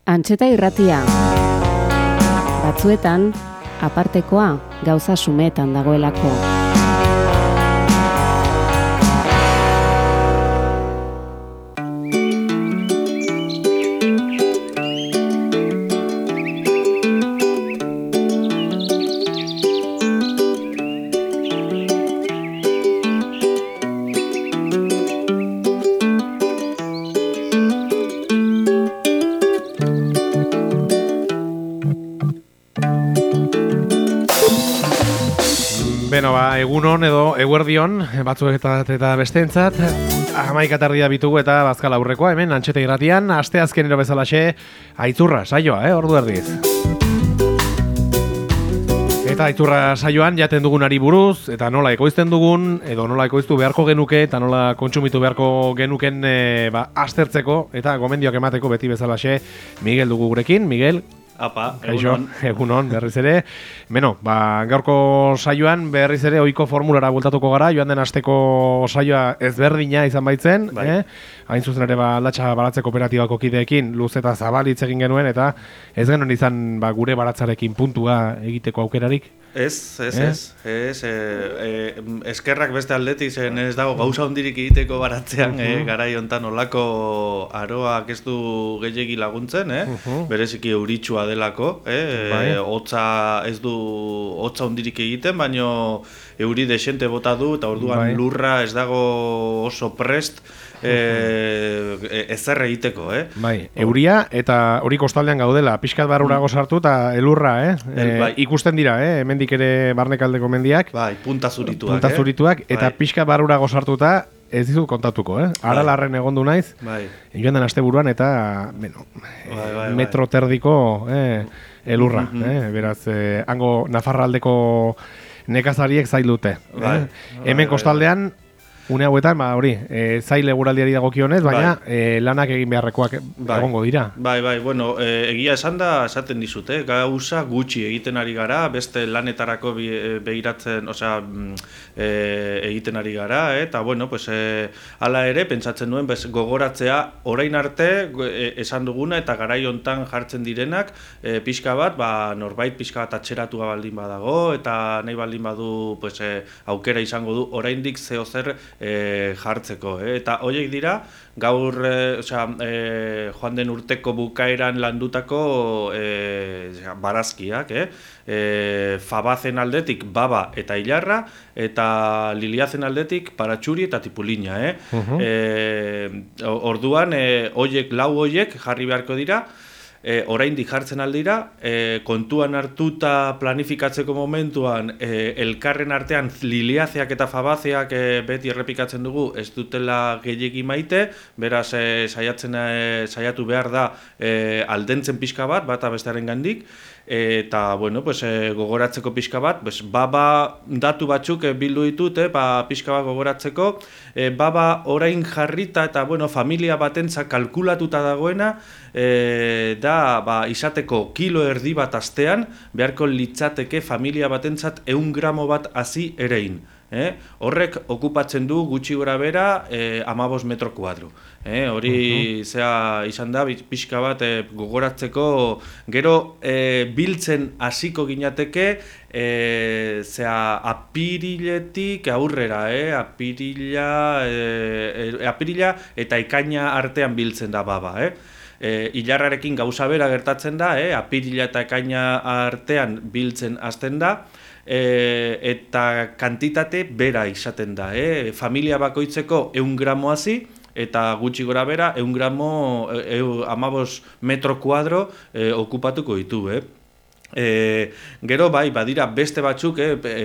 Antxeta irratia. Batzuetan, apartekoa gauza sumetan dagoelako. Beno, egunon edo eguerdion, batzuek eta besteentzat, 11:00 bitugu eta bazkal aurrekoa, hemen Antxeta irratian, asteazkenero bezalaxe, Aitzurra saioa, ordu erdiz. Eta Aitzurra saioan jaten dugunari buruz, eta nola ekoizten dugun, edo nola ekoiztu beharko genuke, eta nola kontsumitu beharko genuken aztertzeko, eta gomendioak emateko beti bezalaxe, Miguel dugu gurekin. Miguel, Apa, egunon, berriz ere. Beno, gaurko saioan berriz ere ohiko formulara bueltatuko gara, joan den asteko saioa ezberdina izan baitzen, bai. Hain zuzen ere aldatxa baratze kooperatibako kideekin luz eta zabal hitz egin genuen, eta ez genuen izan gure baratzarekin puntua egiteko aukerarik. Eskerrak beste aldetik, zen ez dago gauza hondirik egiteko baratzean, garai hontan olako aroak ez du gehiegi laguntzen, bereziki euritsua delako, hotza ez du hotza hondirik egiten, baino euri desente bota du, eta orduan lurra ez dago oso prest, ezer egiteko, Euria, eta hori kostaldean gaudela, pixkat barrurago sartu eta elurra, ikusten dira, hemendik ere barnekaldeko mendiak. Punta zurituak. Eta pixkat barrurago sartuta, ez dizut kontatuko, Aralarren egondu naiz, joan den asteburuan, eta, metro terdiko elurra, beraz, hango Nafarraldeko nekazariek zail dute. Hemen kostaldean, une hauetan, zail eguraldiari dagokionez, baina lanak egin beharrekoak egongo dira. Bueno, egia esaten dizute, gauza gutxi egiten ari gara, beste lanetarako begiratzen, egiten ari gara, eta, bueno, hala ere, pentsatzen nuen, gogoratzea, orain arte, esan duguna, eta garai hontan jartzen direnak, pixka bat, norbait pixka bat atxeratua baldin badago, eta nahi baldin badu, aukera izango du, oraindik zeo zer jartzeko, eta horiek dira gaur joan den urteko bukaeran landutako barazkiak, fabazen aldetik baba eta ilarra, eta liliazen aldetik paratxuri eta tipulina. Orduan lau horiek jarri beharko dira, oraindik jartzen aldira, kontuan hartuta planifikatzeko momentuan elkarren artean liliazeak eta fabazeak beti errepikatzen dugu ez dutela gehiegi maite, beraz saiatu behar da aldentzen pixka bat, bata bestearen gandik, eta gogoratzeko pixka bat, baba datu batzuk bildu ditut, pixka bat gogoratzeko, baba orain jarrita eta familia batentzat kalkulatuta dagoena, da izateko kilo erdi bat astean, beharko litzateke familia batentzat 100 gramo bat hazi erein. Horrek okupatzen du gutxi gora bera 15 metro kuadro. Hori izan da pixka bat gogoratzeko, gero biltzen hasiko ginateke apiriletik aurrera, apirila eta ekaina artean biltzen da baba. Ilarrarekin gauza bera gertatzen da, apirila eta ekaina artean biltzen hasten da, eta kantitate bera izaten da. Familia bakoitzeko 100 gramo hazi, eta gutxi gora bera 100 gramo 15 metro kuadro okupatuko ditu. Gero badira beste batzuk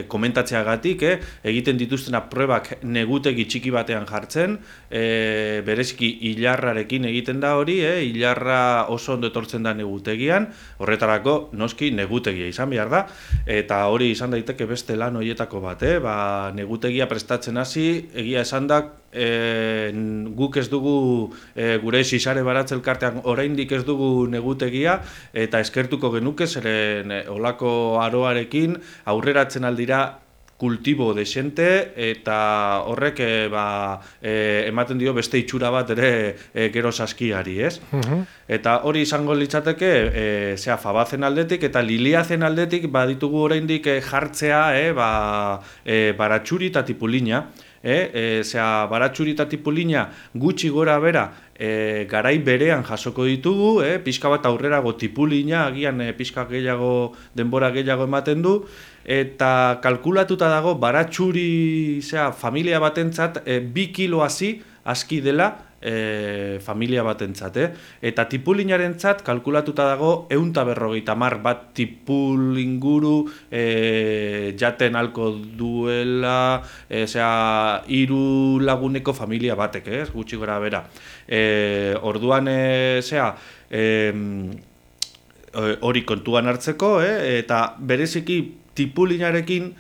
komentatzeagatik egiten dituztena probak negutegi txiki batean jartzen, bereziki ilarrarekin egiten da hori, ilarra oso ondo etortzen da negutegian, horretarako noski negutegia izan behar da, eta hori izan daiteke beste lan horietako bat, negutegia prestatzen hasi, egia esan da guk ez dugu gure sisare baratze elkartean oraindik ez dugu negutegia, eta eskertuko genuke zeren olako aroarekin aurreratzen aldira kultibo desente eta horrek ematen dio beste itxura bat ere gero saskiari, ez? Eta hori izango litzateke fabazen aldetik eta liliazen aldetik baditugu oraindik jartzea baratxuri eta tipulina. Baratxuri eta tipulina gutxi gora bera garai berean jasoko ditugu, pixka bat aurrerago tipulina, agian pixka gehiago, denbora gehiago ematen du, eta kalkulatuta dago baratxuri familia batentzat 2 kilo aski dela familia batentzat, eta tipulinarentzat kalkulatuta dago 150 bat tipul inguru jaten alko duela 3 laguneko familia batek, gutxi gora bera. Orduan hori kontuan hartzeko, eta bereziki tipulinarekin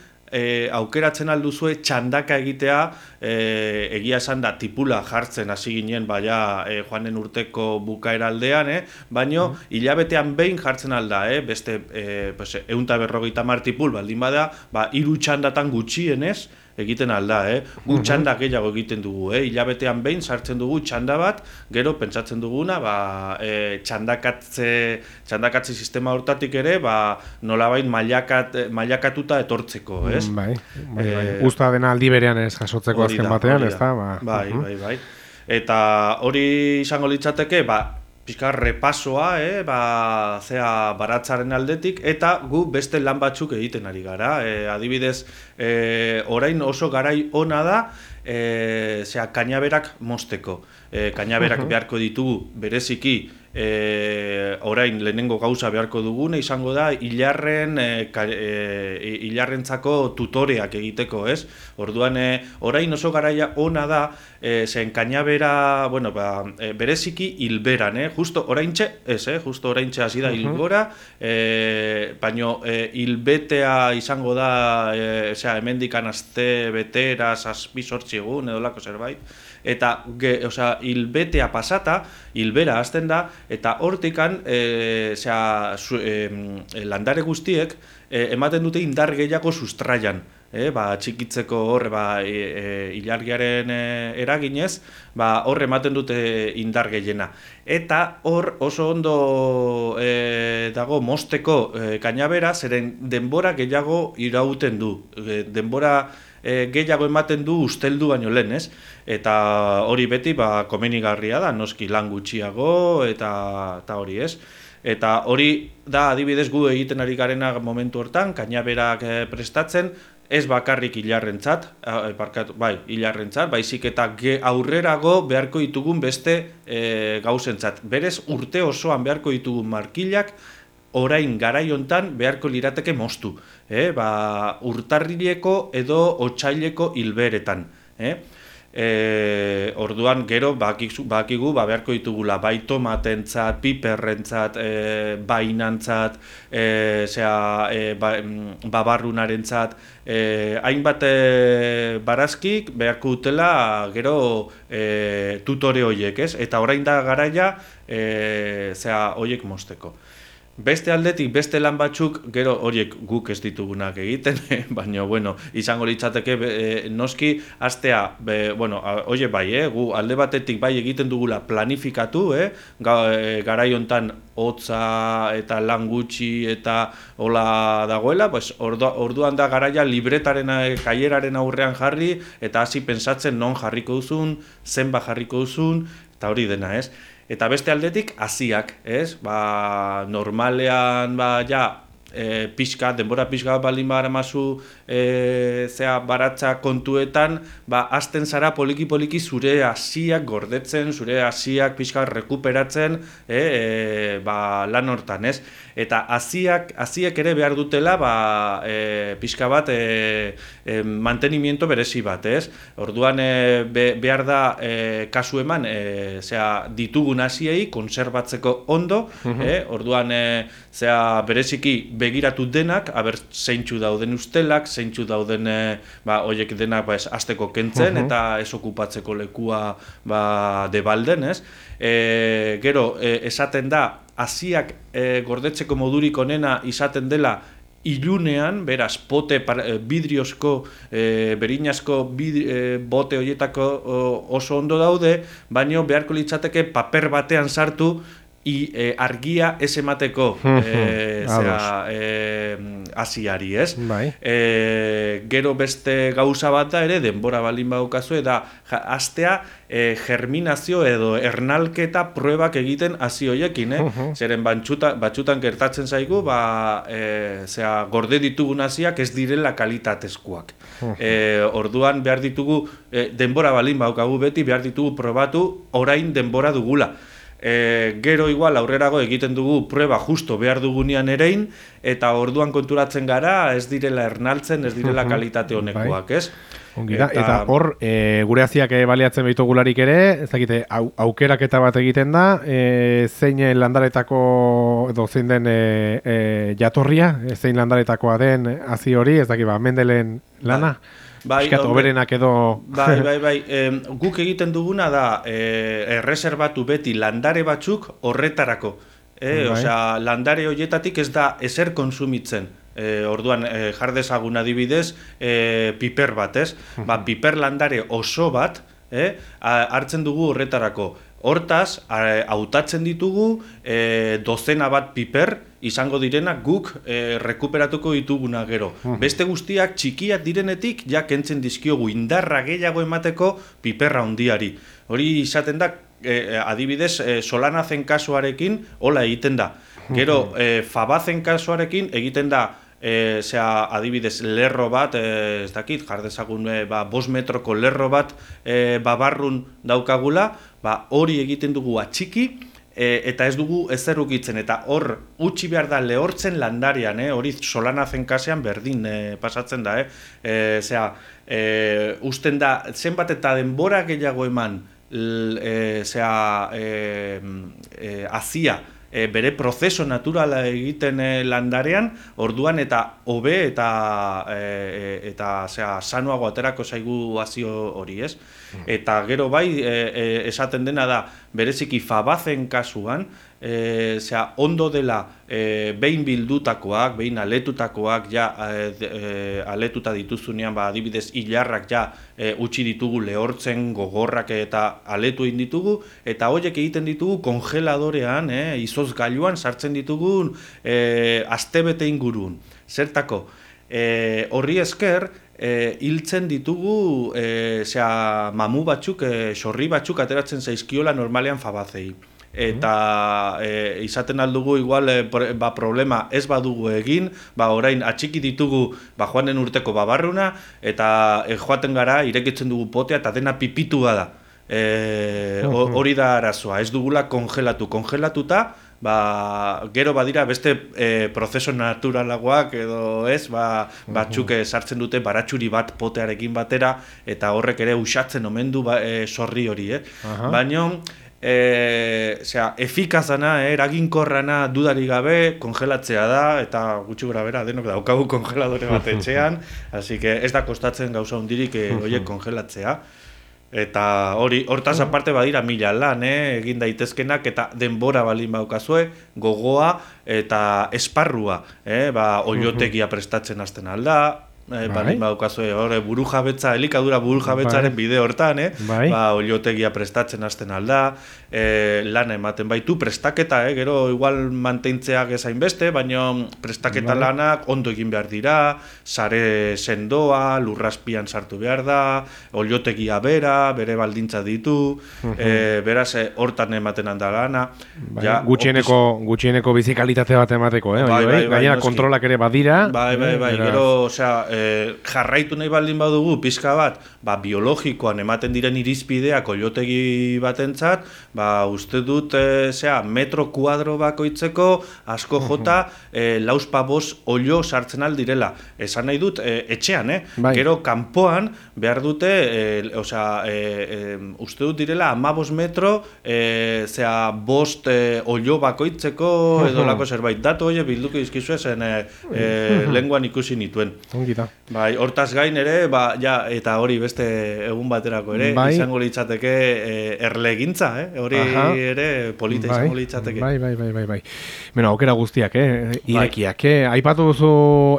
aukeratzen alduzue txandaka egitea, egia esan da tipula jartzen hasi ginen joanen urteko bukaera aldean, baino hilabetean behin jartzen alda, beste 150 tipul baldin bada, 3 txandatan gutxienez egiten alda, gu txanda gehiago egiten dugu, hilabetean behin sartzen dugu txanda bat, gero pentsatzen duguna, txandakatze sistema hortatik ere, nolabait mailakatuta etortzeko, ez? Bai. Usta dena aldi berean ez jasotzeko azken batean, ez da? Bai. Eta hori izango litzateke, pixka repasoa, baratzaren aldetik, eta gu beste lan batzuk egiten ari gara. Adibidez, orain oso garai ona da, kainaberak mozteko. Kainaberak beharko ditugu bereziki, orain lehenengo gauza beharko dugune izango da hilarrentzako tutoreak egiteko, ez? Orduan, orain oso garaia ona da, zen kainabera, bereziki hilberan, justo oraintxe, justo oraintxe hasi da hilgora, baino hilbetea izango da, hemendikan aste betera, 7-8 egun, edolako zerbait, eta hilbetea pasata, hilbera hasten da, eta hortikan landare guztiek ematen dute indar gehiago sustraian, txikitzeko hor ilargiaren eraginez, hor ematen dute indar gehiena. Eta hor oso ondo dago mozteko kainabera, zeren denbora gehiago irauten du, denbora gehiago ematen du usteldu baino lehen, ez? Eta hori beti komenigarria da, noski lan gutxiago eta hori, ez? Eta hori da adibidez gu egiten ari garena momentu hortan, kainaberak prestatzen, ez bakarrik hilarrentzat, baizik eta aurrerago beharko ditugun beste gauzentzat. Berez urte osoan beharko ditugun markilak, orain garai hontan beharko lirateke moztu, urtarrileko edo otsaileko hilberetan. Orduan gero bakigu beharko ditugula bai tomatentzat, piperrentzat, bainantzat, babarrunarentzat, hainbat barazkik beharko dutela gero tutore horiek, ez? Eta orain da garaia horiek mozteko. Beste aldetik, beste lan batzuk, gero horiek guk ez ditugunak egiten, baina, izango litzateke noski, astea, oie bai, gu alde batetik bai egiten dugula planifikatu, garai hontan hotza eta lan gutxi eta hola dagoela, orduan da garaia libretaren, kaieraren aurrean jarri, eta hasi pentsatzen non jarriko duzun, zenba jarriko duzun, eta hori dena, ez? Eta beste aldetik, haziak, ez? Normalean, denbora pixka baldin baramazu baratza kontuetan, hasten zara poliki-poliki zure haziak gordetzen, zure haziak pixka rekuperatzen lan hortan, ez? Eta haziak ere behar dutela pixka bat mantenimiento berezi bat, ez? Orduan behar da kasu eman ditugun haziei konserbatzeko ondo, orduan bereziki begiratu denak, zeintzu dauden ustelak, zeintzu dauden horiek denak hasteko kentzen eta ez okupatzeko lekua debalden, ez? Gero, esaten da, haziak gordetzeko modurik onena izaten dela ilunean, beraz, pote bidriozko, berinazko bote horietako oso ondo daude, baino beharko litzateke paper batean sartu argia ez emateko hasiari, ez? Bai. Gero beste gauza bat da ere, denbora baldin badaukazu, da hastea germinazio edo ernalketa pruebak egiten hasi hoiekin, zeren batxutan gertatzen zaigu, gorde ditugun hasiak ez direla kalitatezkoak. Orduan behar ditugu, denbora baldin badaukagu beti, behar ditugu probatu orain denbora dugula. Gero igual aurrerago egiten dugu prueba justo behar dugunean erein, eta orduan konturatzen gara ez direla ernaltzen, ez direla kalitate honekoak, ez? Eta hor, gure haziak baliatzen behitugularik ere, ez dakite, aukeraketa bat egiten da, zein landaretako, edo zein den jatorria, zein landaretakoa den hazi hori, ez dakit, Mendelen lana? Piskat, oberenak edo... Bai. Guk egiten duguna da erreserbatu beti landare batzuk horretarako. Osea, landare horietatik ez da ezer konsumitzen. Orduan, jardezagun adibidez, piper bat, ez? Piper landare oso bat hartzen dugu horretarako. Hortaz, hautatzen ditugu dozena bat piper izango direnak guk rekuperatuko dituguna gero. Beste guztiak txikiak direnetik ja kentzen dizkiogu indarra gehiago emateko piperra handiari. Hori izaten da, adibidez, Solanazen kasuarekin hola egiten da. Gero, Fabazen kasuarekin egiten da, adibidez, lerro bat, ez dakit, jardezagun 5 metroko lerro bat barrun daukagula, hori egiten dugu atxiki, eta ez dugu ezer ukitzen, eta hor utzi behar da lehortzen landarean, hori Solanazen kasean berdin pasatzen da, usten da, zenbat eta denbora gehiago eman hazia, bere prozeso naturala egiten landarean, orduan eta hobe eta sanuago aterako zaigu hazio hori, ez? Eta gero bai, esaten dena da, bereziki Fabazen kasuan, ondo dela behin bildutakoak, behin aletutakoak, aletuta dituzunean, adibidez, hilarrak utzi ditugu lehortzen, gogorrak eta aletu egin ditugu, eta horiek egiten ditugu kongeladorean, izozgailuan sartzen ditugu astebete ingurun. Zertako, horri esker, hiltzen ditugu mamu batzuk, sorri batzuk ateratzen zaizkiola normalean Fabazei. Eta izaten aldugu igual problema ez badugu egin, orain atxiki ditugu joan den urteko babarruna, eta joaten gara irekitzen dugu potea eta dena pipitua da. Hori da arazoa, ez dugula kongelatuta, gero badira beste prozeso naturalagoak edo ez, batzuk sartzen dute baratxuri bat potearekin batera, eta horrek ere usatzen omen du sorri hori, baina efikazana, eraginkorrana dudarik gabe kongelatzea da, eta gutxi gora bera denok daukagu kongeladore bat etxean, así que ez da kostatzen gauza hundirik horiek kongelatzea. Eta hortaz aparte badira mila lan, egin daitezkenak, eta denbora balin baukazue, gogoa eta esparrua, oiotegia prestatzen hasten alda, balin baukazue, burujabetza, elikadura burujabetzaren bide hortan, oiotegia prestatzen hasten alda, lan ematen baitu, prestaketa, gero igual mantentzea gezain beste, baina prestaketa lanak ondo egin behar dira, sare sendoa, lurrazpian sartu behar da, oiotegia bere baldintza ditu, beraz hortan ematen handa lana. Gutxieneko bizikalitate bat emateko, gainera kontrolak ere badira. Gero, jarraitu nahi baldin badugu, pizka bat, biologikoan ematen diren irizpideak oiotegi batentzat, uste dut, metro kuadro bakoitzeko asko jota, lauzpa bost oio sartzen aldirela. Esan nahi dut, etxean, gero kanpoan behar dute, uste dut direla 15 metro, bost oio bakoitzeko, edo lako zerbait. Datu hori bilduko izkizu zen lenguan ikusi nituen. Bai, hortaz gain ere, eta hori beste egun baterako ere, izango litzateke erlegintza, hori ere polita izango litzateke. Bai. Bueno, aukera guztiak, irekiak. Aipatu duzu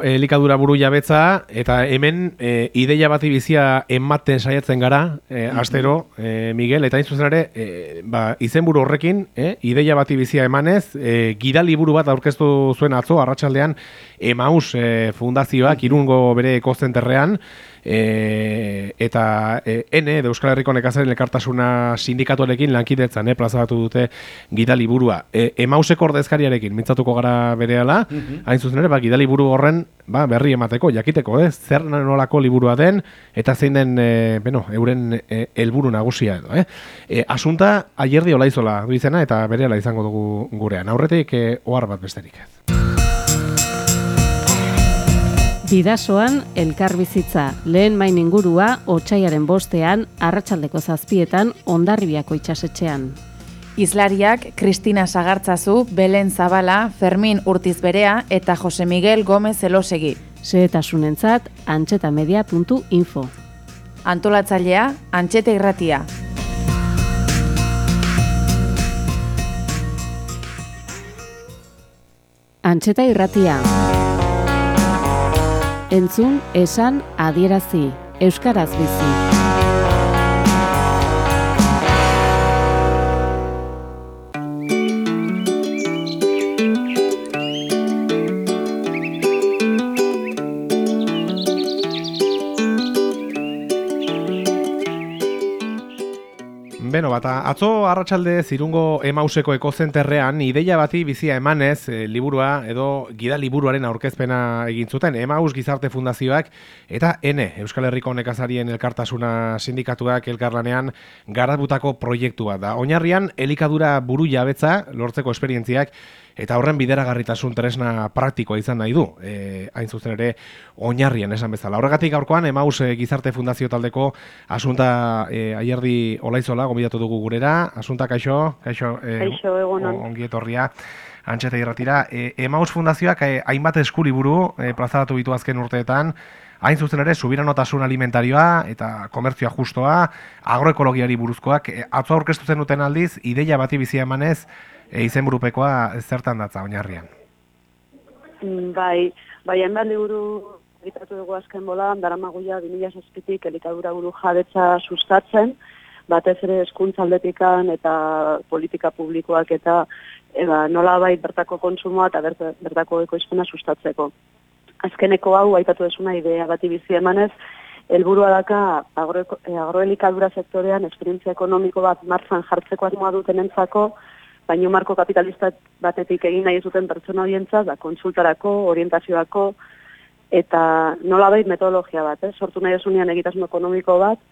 elikadura buru jabetza, eta hemen ideia bati bizia ematen saiatzen gara, astero, Miguel, eta hain zuzen ere, izenburu horrekin, ideia bati bizia emanez, gidaliburu bat aurkeztu zuen atzo, arratsaldean, Emaus fundazioak Irungo bere ekozenterrean, eta N, Euskal Herriko Nekazarien Elkartasuna sindikatuarekin lankidetzan plazaratu dute gidaliburua. Emauseko ordezkariarekin mintzatuko gara berehala, hain zuzen ere, gidaliburu horren berri emateko, jakiteko, zer nolako liburua den, eta zein den, euren helburu nagusia edo. Asunta, Ayerdi Olaizola du izena, eta berehala izango dugu gurean. Aurretik, ohar bat besterik ez. Bidasoan elkarbizitza, lehen main ingurua, Otsaiaren 5ean, arratsaldeko 7etan, Hondarribiako itsasetxean. Hizlariak Kristina Sagartzazu, Belen Zabala, Fermin Urtizberea eta Jose Miguel Gomez Elosegi. Xehetasunentzat, antxetamedia.info. Antolatzailea, Antxeta Irratia. Antxeta Irratia. Entzun, esan, adierazi. Euskaraz bizi. Beno, atzo arratsalde Irungo Emauseko ekozenterrean ideia bati bizia emanez liburua edo gida liburuaren aurkezpena egin zuten Emaus Gizarte Fundazioak eta N, Euskal Herriko Nekazarien Elkartasuna sindikatuak elkarlanean garatutako proiektua da. Oinarrian elikadura buru jabetza lortzeko esperientziak eta horren bideragarritasun tresna praktikoa izan nahi du, hain zuzen ere oinarrian esan bezala. Horregatik gaurkoan Emaus Gizarte Fundazio taldeko Asunta Ayerdi Olaizola gomidatu dugu gurera. Asunta, kaixo, egunon. Ongi etorria Antxeta Irratira. Emaus Fundazioak hainbat eskuliburu plazaratu ditu azken urteetan, hain zuzen ere subiranotasun alimentarioa eta komertzioa justoa, agroekologiari buruzkoak. Atzo aurkeztu zen duten aldiz, ideia bati bizia emanez, izenburupekoa zertan datza oinarrian? Bai, hainbat liburu egitatu dugu azken bolan, daramaguia 2007tik elikadura buru jabetza sustatzen, batez ere hezkuntza aldetikan eta politika publikoak eta nolabait bertako kontsumoa eta bertako ekoizpena sustatzeko. Azkeneko hau aipatu desuna idea bati bizi emanez, helburua daka agroelikadura sektorean esperientzia ekonomiko bat martxan jartzeko asmoa dutenentzako, baino marko kapitalista batetik egin nahi zuten pertsona horientzat, kontsultarako, orientazioako, eta nolabait metodologia bat, sortu nahi esunean egitasun ekonomiko bat,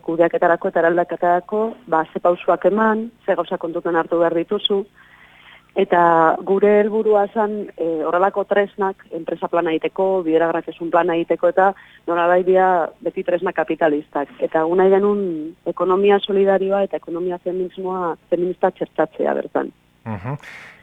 kudeaketarako eta eraldaketarako, ze pausuak eman, ze gauza kontutan hartu behar dituzu, eta gure helburua zen horrelako tresnak, enpresa plana egiteko, bideragarritasun plana egiteko, eta nolabait dira beti tresna kapitalistak. Eta nahi genuen ekonomia solidarioa eta ekonomia feminista txertatzea bertan.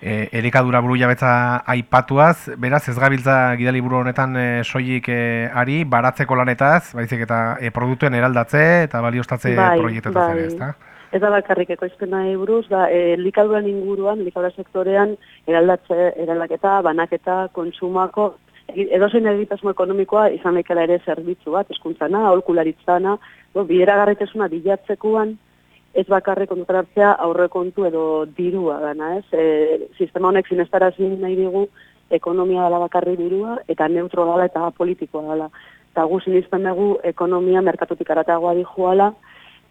Elikadura buru jabetza aipatuaz, beraz ez gabiltza gidaliburu honetan soilik ari, baratzeko lanetaz, baizik eta produktuen eraldatze eta baliostatze proiektetaz ere, ezta? Ez da bakarrik ekoizpena buruz, elikaduran inguruan, elikadura sektorean, eraldaketa, banaketa, kontsumako, edozein egitasun ekonomikoa izan daikela ere zerbitzu bat, hezkuntzana, aholkularitzana, bideragarritasuna bilatzekoan, ez bakarrik kontutan hartzea aurrekontu edo dirua dana, ez? Sistema honek sinestarazi nahi digu ekonomia dela bakarri dirua, eta neutro dela eta politikoa dela. Eta gu sinisten dugu ekonomia merkatutik aratagoa dijoala,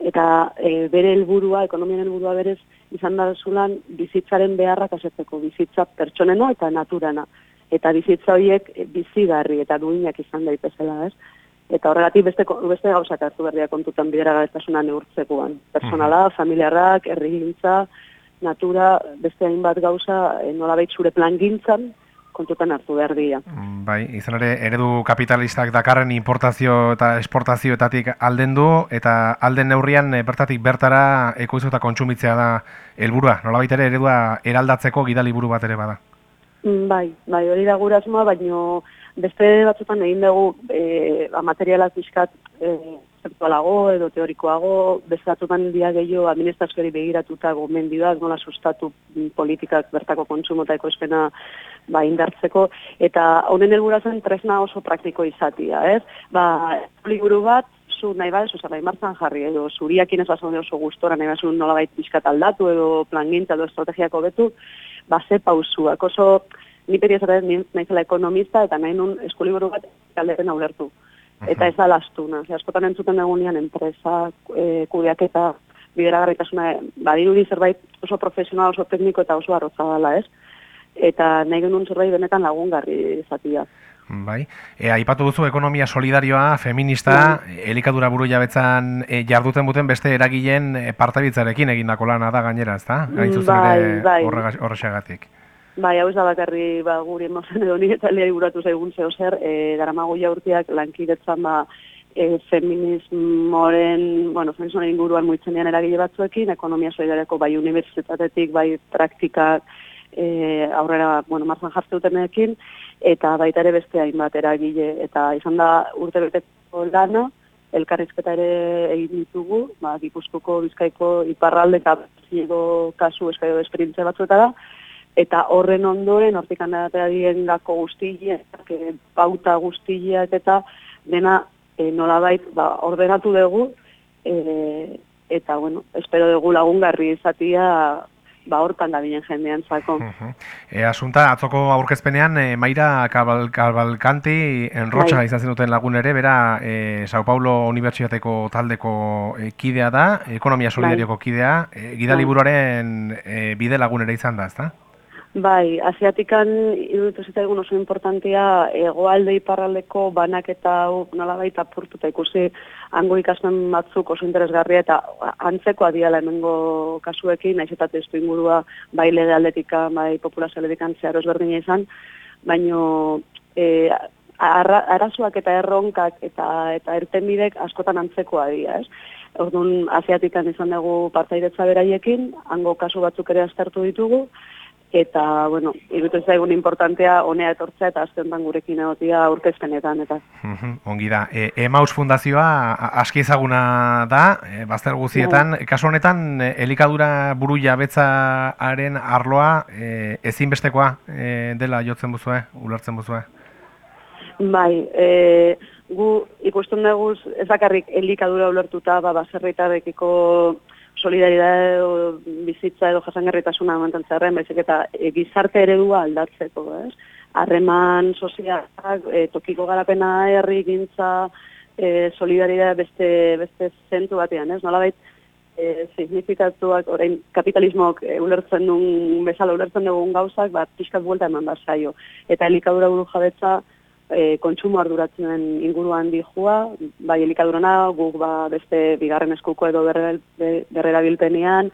eta bere helburua, ekonomiaren helburua berez, izan da zulan bizitzaren beharrak asetzeko, bizitza pertsonena eta naturana. Eta bizitza horiek bizigarri eta duinak izan daitezela, ez? Eta horregatik beste gauzak hartu berdia kontutan bideragarritasuna neurtzekoan. Personala, familiarrak, herrigintza, natura, beste hainbat gauza nolabait zure plangintzan kontutan hartu behar dira. Bai, izan ere, eredu kapitalistak dakarren importazio eta esportazioetatik alden du, eta alden neurrian bertatik bertara ekoiztu eta kontsumitzea da helburua. Nolabait ere eredua eraldatzeko gidaliburu bat ere bada. Bai, hori da gure asmoa, baino beste batzutan egin dugu materiala pixkat kontzeptualago edo teorikoago, beste batzutan dia gehiago administrazioari begiratuta gomendioak, nola sustatu politikak bertako kontsumo eta ekoizpena indartzeko, eta honen helburua zen tresna oso praktiko izatia, ez? Liburu bat, zu nahi bat, zerbait martxan jarri, edo zuriakin ez bazaude oso gustora, nahi bat nolabait pixkat aldatu, edo plangintza, edo estrategiako betu, ze pausuak, oso ni peri esaten naizela ekonomista, eta nahi nun eskuliburu bat galderen ulertu. Eta ez da lastuna, askotan entzuten egunean enpresa, kudeaketa, bideragarritasuna, badirudi zerbait oso profesional, oso tekniko eta oso arroza dela, ez? Eta nahi genuen zerbait benetan lagungarri izatia. Bai, aipatu duzu ekonomia solidarioa, feminista, elikadura buru jabetzan jarduten buten beste eragileen partabitzarekin egindako lana da gainera, ezta? Gain zuzen ere horrexegatik. Bai, hau ez da bakarri guri emozen edo nire taldeari buratu zaigun zehozer, daramago urteak lankidetzan feminismoren inguruan muitzenean eragile batzuekin, ekonomia solidariako bai unibertsitatetik, bai praktikak aurrera, martzan jartze dutenekin, eta baita ere beste hainbat eragile, eta izan da urtebeteko lana, elkarrizketa ere egin ditugu, Gipuzkoako, Bizkaiko, Iparralde eta kasu eskaio esperientzia batzuetara, eta horren ondoren, hortik handatea diengako guztileak, pauta guztileak eta dena nolabait ordenatu dugu, eta, espero dugu lagungarri izatia hortan da binen jendean zako. Asunta, atzoko aurkezpenean, Maira Cavalcanti enrotxa izan zenuten lagun ere, bera Sao Paulo Unibertsitateko taldeko kidea da, ekonomia solidarioko kidea, gidaliburuaren bide lagun ere izan da, ezta? Bai, asiatikan iruditu zitaigun oso importantea hegoalde iparraldeko banaketa nolabait apurtuta ikusi hango ikasmen batzuk oso interesgarria eta antzekoa diala hemengo kasuekin, naiz eta testuingurua bai lege aldetika, bai populazio aldetikan zeharo ezberdina izan, baino arazoak eta erronkak eta irtenbidek askotan antzekoa dira, ez? Orduan asiatikan izan dugu partaidetza beraiekin, hango kasu batzuk ere aztertu ditugu, eta, iruditu zaigun importantea honea etortzea eta azkentan gurekin egotia aurkezpenetan, eta. Ongi da. Emaus Fundazioa aski ezaguna da, bazter guztietan. Kasu honetan, elikadura buru jabetzaaren arloa ezinbestekoa dela jotzen buzue, ulertzen buzue? Bai, gu ikusten dugu ez bakarrik elikadura ulertuta, baserritarrekiko solidaridade edo bizitza edo jasangarritasuna mantentzearen, baizik eta gizarte eredua aldatzeko, ez? Harreman sozialak, tokiko garapena, herrigintza, solidaridade beste zentu batean, ez? Nolabait signifikatuak, orain kapitalismoak ulertzen duen bezala ulertzen dugun gauzak, pixkat buelta eman zaio. Eta elikadura buru jabetza kontsumo arduratzen inguruan dijua, bai elikadurana, guk beste bigarren eskuko edo berrerabilpenean,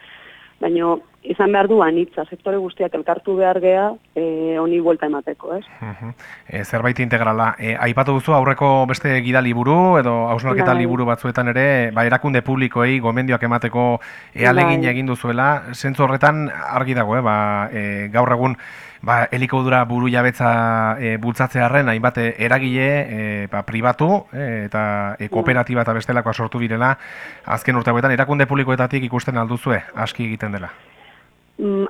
baina izan behar du anitza, sektore guztiak elkartu behar gea, honi buelta emateko, ez? Zerbait integrala. Aipatu duzu aurreko beste gidaliburu edo hausnarketa liburu batzuetan ere, erakunde publikoei gomendioak emateko ahalegin egin duzuela, zentzu horretan argi dago, gaur egun elikadura buru jabetza bultzatzearren hainbat eragile pribatu eta kooperatiba eta bestelakoa sortu direla azken urteetan erakunde publikoetatik ikusten alduzue aski egiten dela.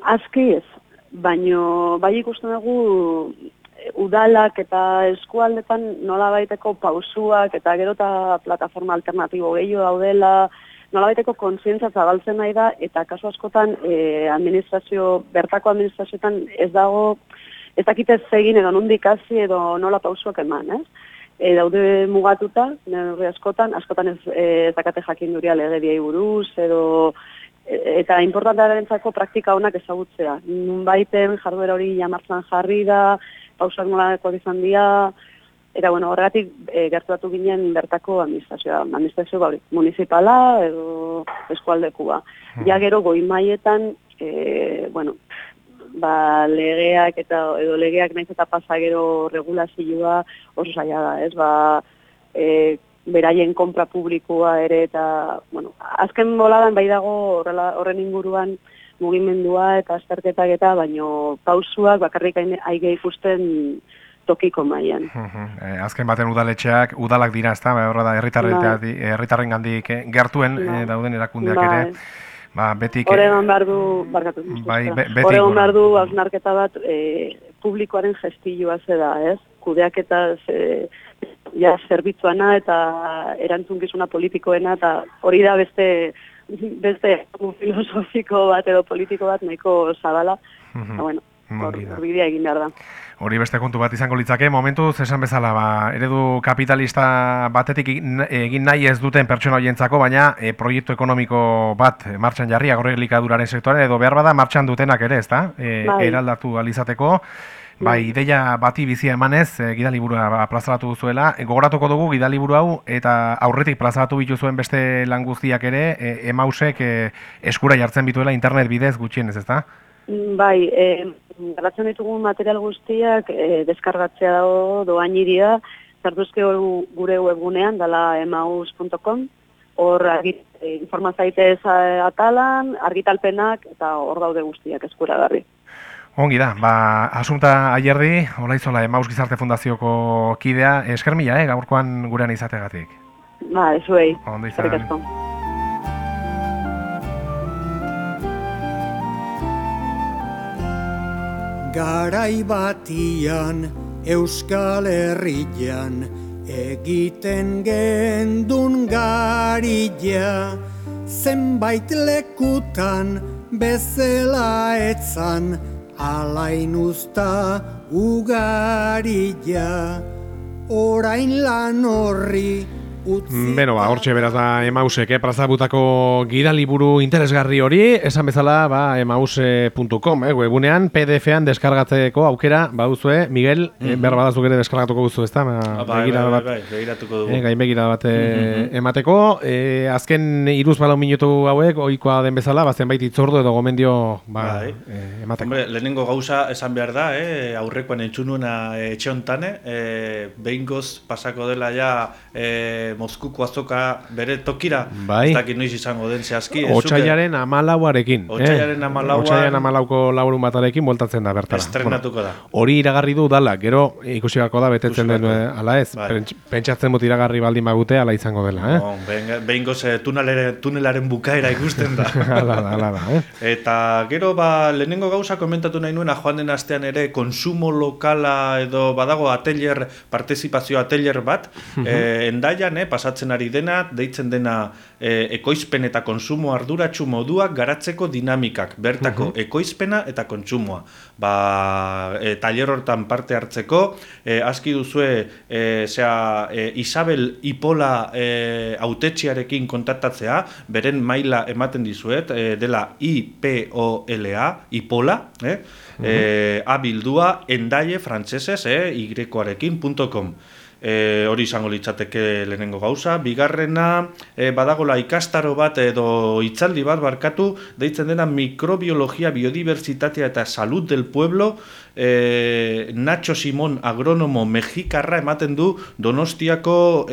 Aski ez, baino bai ikusten dugu udalak eta eskualdetan nolabaiteko pausuak eta gero eta plataforma alternatibo gehiago daudela, nolabaiteko kontzientza zabaltzen nahi da, eta kasu askotan bertako administrazioetan ez dago, ez dakitez egin edo nondik hasi edo nola pausuak eman, ez? Daude mugatuta, neurri askotan ez dakate jakinduria legediei buruz, eta importantearentzako praktika honak ezagutzea. Nunbaiten jarduera hori jamartzan jarri da, pausak nolako izan dira, eta horregatik gerturatu ginen bertako administrazio municipala edo eskualdekua. Ja gero goi mailetan, legeak edo legeak naiz eta pasa gero regulazioa oso zaila da, ez? Beraien konpra publikoa ere eta, azken boladan bai dago horren inguruan mugimendua eta azterketak eta, baino pausuak bakarrik aige ikusten tokiko mailan. Azken baten udalak dira, ezta? Horra da herritarrengandik gertuen dauden erakundeak ere. Betik Horregon behar du hausnarketa bat publikoaren gestilloa zeda, ez? Kudeaketa zerbitzuana eta erantzunkizuna politikoena, eta hori da beste filosofiko bat edo politiko bat nahiko zabala. Bueno, hor bidea egin behar da. Hori beste kontu bat izango litzake, momentuz esan bezala, eredu kapitalista batetik egin nahi ez duten pertsona horientzako, baina proiektu ekonomiko bat martxan jarri agroelikaduraren sektorean, edo behar bada martxan dutenak ere, ezta? Eraldatu alizateko. Ideia bati bizia emanez, gidaliburua plazaratu duzuela. Gogoratuko dugu gidaliburu hau eta aurretik plazaratu bituzuen beste lan guztiak ere, Emausek eskura jartzen bituela internet bidez gutxienez, ezta? Bai, garatzen ditugun material guztiak deskargatzea dago doainiria, zartuzke gure webgunean, dala emaus.com, hor informazaitez atalan, argitalpenak, eta hor daude guztiak eskuragarri. Ongi da, Asunta Ayerdi, Olaizola Emaus Gizarte Fundazioko kidea, esker mila, gaurkoan gurean izategatik. Zuei. Ondo izan. Garai batian Euskal Herrian egiten gendun garila, zenbait lekutan bezala etzan alain usta ugarila, orain lan horri utzi. Hortxe beraz da Emausek, plazabutako gidaliburu interesgarri hori, esan bezala emaus.com, webunean, PDF-an deskargatzeko aukera, baduzue, Miguel, behar badazuk ere deskargatuko duzu, ezta? Begiratuko dugu. Gainbegira bat emateko. Azken 3-4 minutu hauek, ohikoa den bezala, zenbait itzordu edo gomendio emateko. Hombre, lehenengo gauza esan behar da, aurrekoan entzunuena etxe hontane, behingoz pasako dela ja Moskuko azoka bere tokira, ez dakit noiz izango den zehazki. Otsailaren 14arekin. Otsailaren 14ko laurun batarekin voltatzen da bertara. Estrenatuko da. Hori iragarri du dala, gero ikusi beharko da betetzen den ala ez. Pentsatzen dut iragarri baldin bagute ala izango dela. Behingoz tunelaren bukaera ikusten da. Hala da. Eta gero lehenengo gauza komentatu nahi nuen, joan den astean ere konsumo lokala edo badago partizipazio atelier bat, Endaian, pasatzen ari dena, deitzen dena ekoizpen eta konsumo arduratsu moduak garatzeko dinamikak, bertako ekoizpena eta kontsumoa. Taller hortan parte hartzeko, aski duzue Isabel Ipola hautetxiarekin kontaktatzea, beren maila ematen dizuet, dela IPOLA, Ipola, abildua endaie frantsesez, y-arekin.com. Hori izango litzateke lehenengo gauza. Bigarrena, badagola ikastaro bat edo hitzaldi bat barkatu, deitzen dena mikrobiologia, biodiversitatea eta salud del pueblo. Nacho Simón, agronomo mexikarra, ematen du Donostiako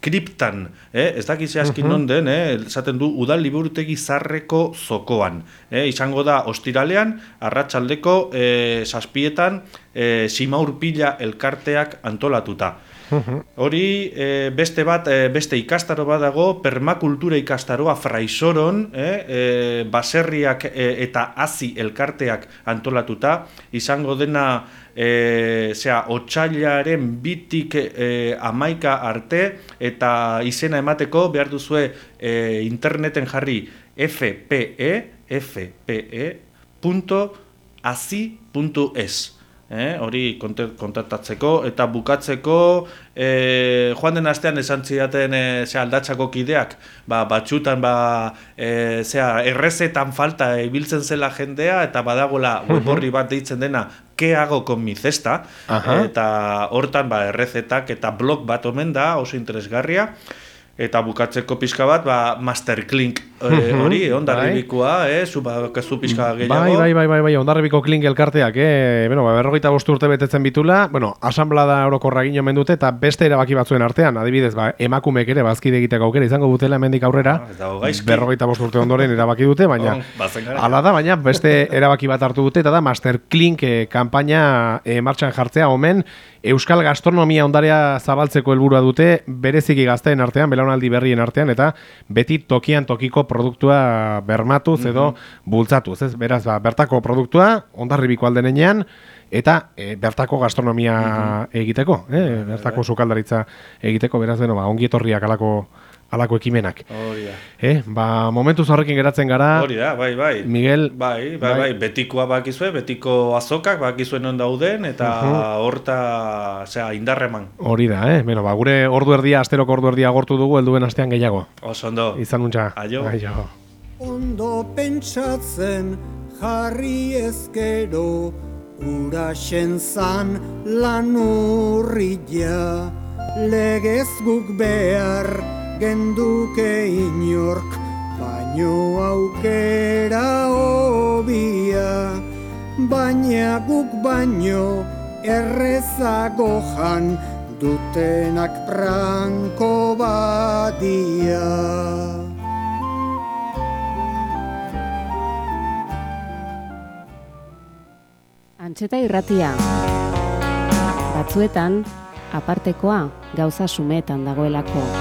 kriptan. Ez dakiz askin non den, esaten du udal liburutegi zarreko zokoan. Izango da ostiralean, arratsaldeko 7:00 Simaurpila elkarteak antolatuta. Hori beste ikastaro bat dago, permakultura ikastaroa Fraisoron, baserriak eta hazi elkarteak antolatuta, izango dena otsailaren 2-tik 11 arte, eta izena emateko behar duzue interneten jarri fpe.hazi.es. Hori kontaktatzeko eta bukatzeko joan den astean esan zidaten aldatzako kideak batxutan errezetan falta ibiltzen zela jendea eta badagola web horri bat deitzen dena ¿qué hago con mi cesta? Eta hortan errezetak eta blog bat omen da oso interesgarria. Eta bukatzeko pixka bat, Master Clink hori, Hondarribikoa, zu pixka gehiago. Bai, Hondarribiko Clink elkarteak, 45 urte betetzen bitula, asanblada orokorra egin omen dute, eta beste erabaki batzuen artean, adibidez, emakumeek ere bazkide egiteko aukera izango dutela hemendik aurrera, 45 urte ondoren erabaki dute, baina hala da, baina beste erabaki bat hartu dute, eta da Master Clink kanpaina martxan jartzea, omen, Euskal gastronomia ondarea zabaltzeko helburua dute, bereziki gazteen artean, belaunaldi berrien artean, eta beti tokian tokiko produktua bermatuz edo bultzatuz. Beraz, bertako produktua, Hondarribiko aldenean, eta bertako gastronomia egiteko, bertako sukaldaritza egiteko, beraz, ongi etorriak alako ekimenak. Hori da. Momentuz horrekin geratzen gara. Hori da, bai. Miguel. Bai. Betikoa bakizue, betiko azokak bakizuen non dauden, eta horta, indarreman. Hori da, gure ordu erdia, asteroko ordu erdia agortu dugu, helduen astean gehiago. Oso ondo. Izan untxa. Aio. Ondo pentsatzen jarri ezkero, uraxen zan lan urria, legez guk behar, genduke inork, baino aukera hobia, baina guk baino errezago jan, dutenak branko badia. Antxeta irratia. Batzuetan, apartekoa gauza sumetan dagoelako.